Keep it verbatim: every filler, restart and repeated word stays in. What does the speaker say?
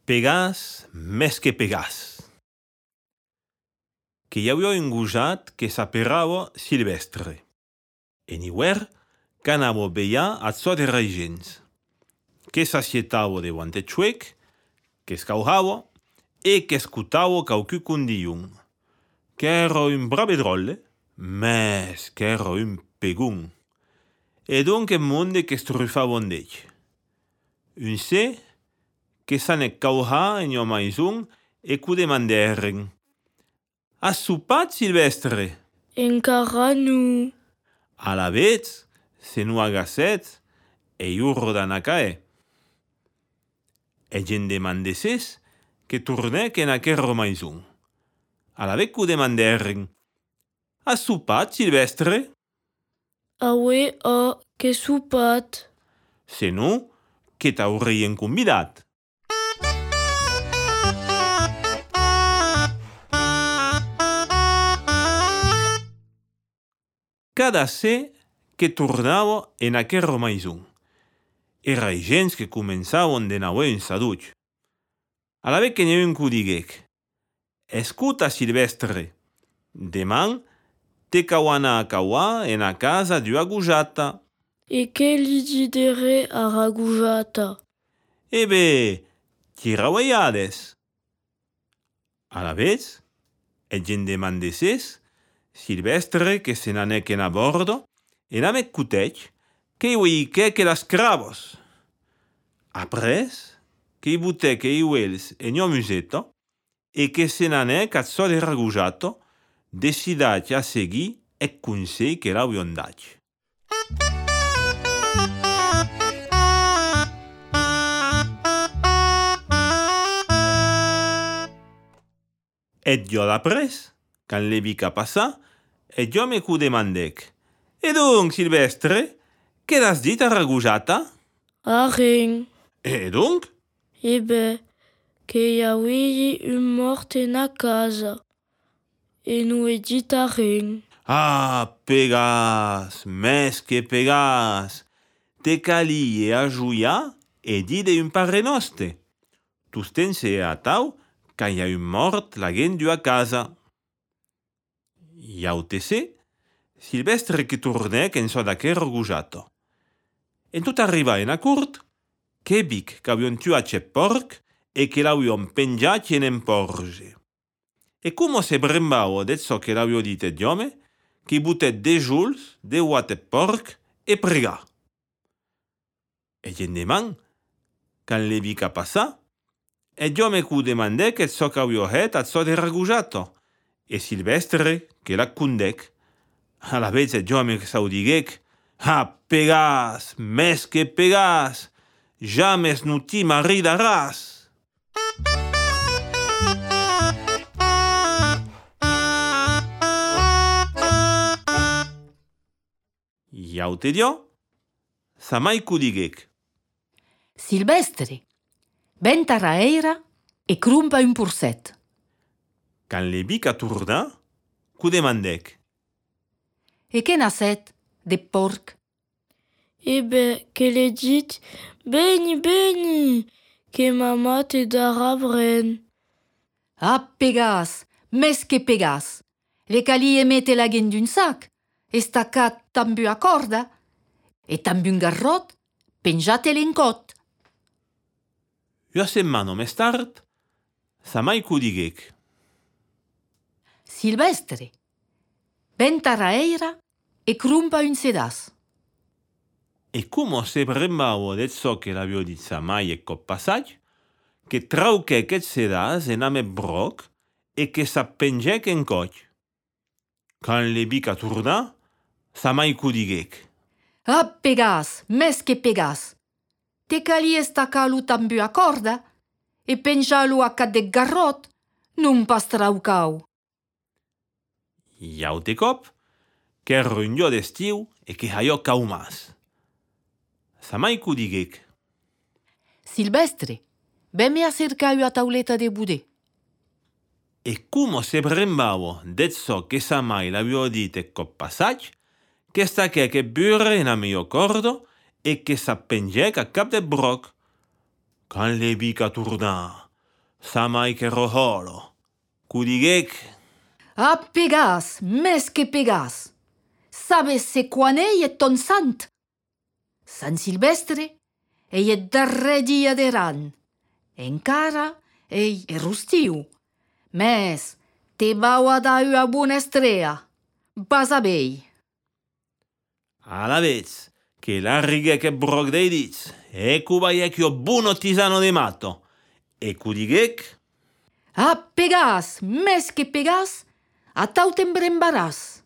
Pegàs més que pegàs. Que hi havia un gojat que s'aperrava Silvestre. En hivern, que anava a vetllar a so de gens, que s'assietava davant el xuec, que escaujava e que escutava qualcú condiun, que era un bravedrolle, més que era un pegún. E donc el monde que strufava en ell. Un sé que s'anèc caujar en jo maison e que demanderen: Has sopat, Silvestre? Encara no. A la vez, se no agacet, e urdan a caer. E gent demandesses que tornèc en aquera maison. A la vez que demanderen: Has sopat, Silvestre? Aue, a, que sopat. Se no, que t'haurien convidat. Cada sé que tornava en aquera maison. Era gens que començaven de nou un saduig. A la vez que n'hi ha un que diguec: Escuta, Silvestre, demà te cau anar a cauar en a casa d'ua gojata. E que li didere a ragujata? E bé, ti ravaiades. A la vez, el gent demandesses Silvestre que se n'anèc en a bordo e n'amèc cutèc que hi uiquèc las cravos. Apres, que hi botèc e uels en jo museta e que se n'anèc a so de ragujato, decidat a seguir ec consell que l'auion dat. Et jo d'apres, quand l'he vi que passar, et jo me cu demandèc: E donc, Silvestre, què l'has dit a ragujata? Arren. E donc? E bé, que hi auia un mort en a casa. E no he dit arren. Ah, pegàs, més que pegàs. Te calie a juiar e dir d'un pare nostre. Tusten se atau que hi ha un mort la gent d'ua casa. Ja ho te sé, Silvestre que tornèc en so d'aquera gojato. En tot arriba en a curt, que vic que avion tuat ce porc e que l'avion penjat en en porge. E como se brembava de so que l'avio dit et jome, que butet de juls, de uat et porc e prega. E gent deman, quand le vi que passa, et jome que demandèc et so que avio het at so de ragujato, e Silvestre que la condèc. A la vez et jome que s'au diguec: Ah, pegàs, més que pegàs, james no ti maridaràs. Ja ho te dio, sa mai cu diguec: Silvestre, ben taraeira e crumpa un purset. Quand le vi que torna, cu demandèc: E che n'ha set de porc? E bé, que l'he dit: Beni, beni, que mama te darà bren. Ah, pegàs, més que pegàs. Le calie mette la gent d'un sac, estacat amb una corda, e amb un garrot, penjat l'encot. Ua setmana més tard, sa mai cu diguec: Silvestre, ben taraeira e crumpa un sedàs. E como se brembava de so que l'avio dit sa mai e cop passat, que trauquèc et sedàs en amèt broc e que s'appenjèc en coch. Quand le vi que torna, sa mai cu diguec: Ah, pegàs, més que pegàs. Te calie estacar-lo amb una corda e penjar-lo a cat de garrot, non pas traucau. Ja ho te cop, que era un jo d'estiu e que allò cau mas. Sa mai cu diguec: Silvestre, ben me acercar una tauleta de budè. E como se brembava de so que sa mai l'avio dit e cop passat, que staquèc e burre en a mio cordo e que s'appenjèc a cap de broc. Quand le vi que torna, Samai che roholo. Cudigec, A Pegas, mes que Pegas. Sabes se quan ei è ton sant? Sant Silvestre ei è darrer dia de ran. Encara ei è rustiu. Mes te vau a da ua bona estrea. Vas a bei. alla vez, che l'arrighe che broc dei dits, e cubaiec io buono tisano de matto. E cudigec, A Pegas, mes que Pegas, a tau t'embrembaràs.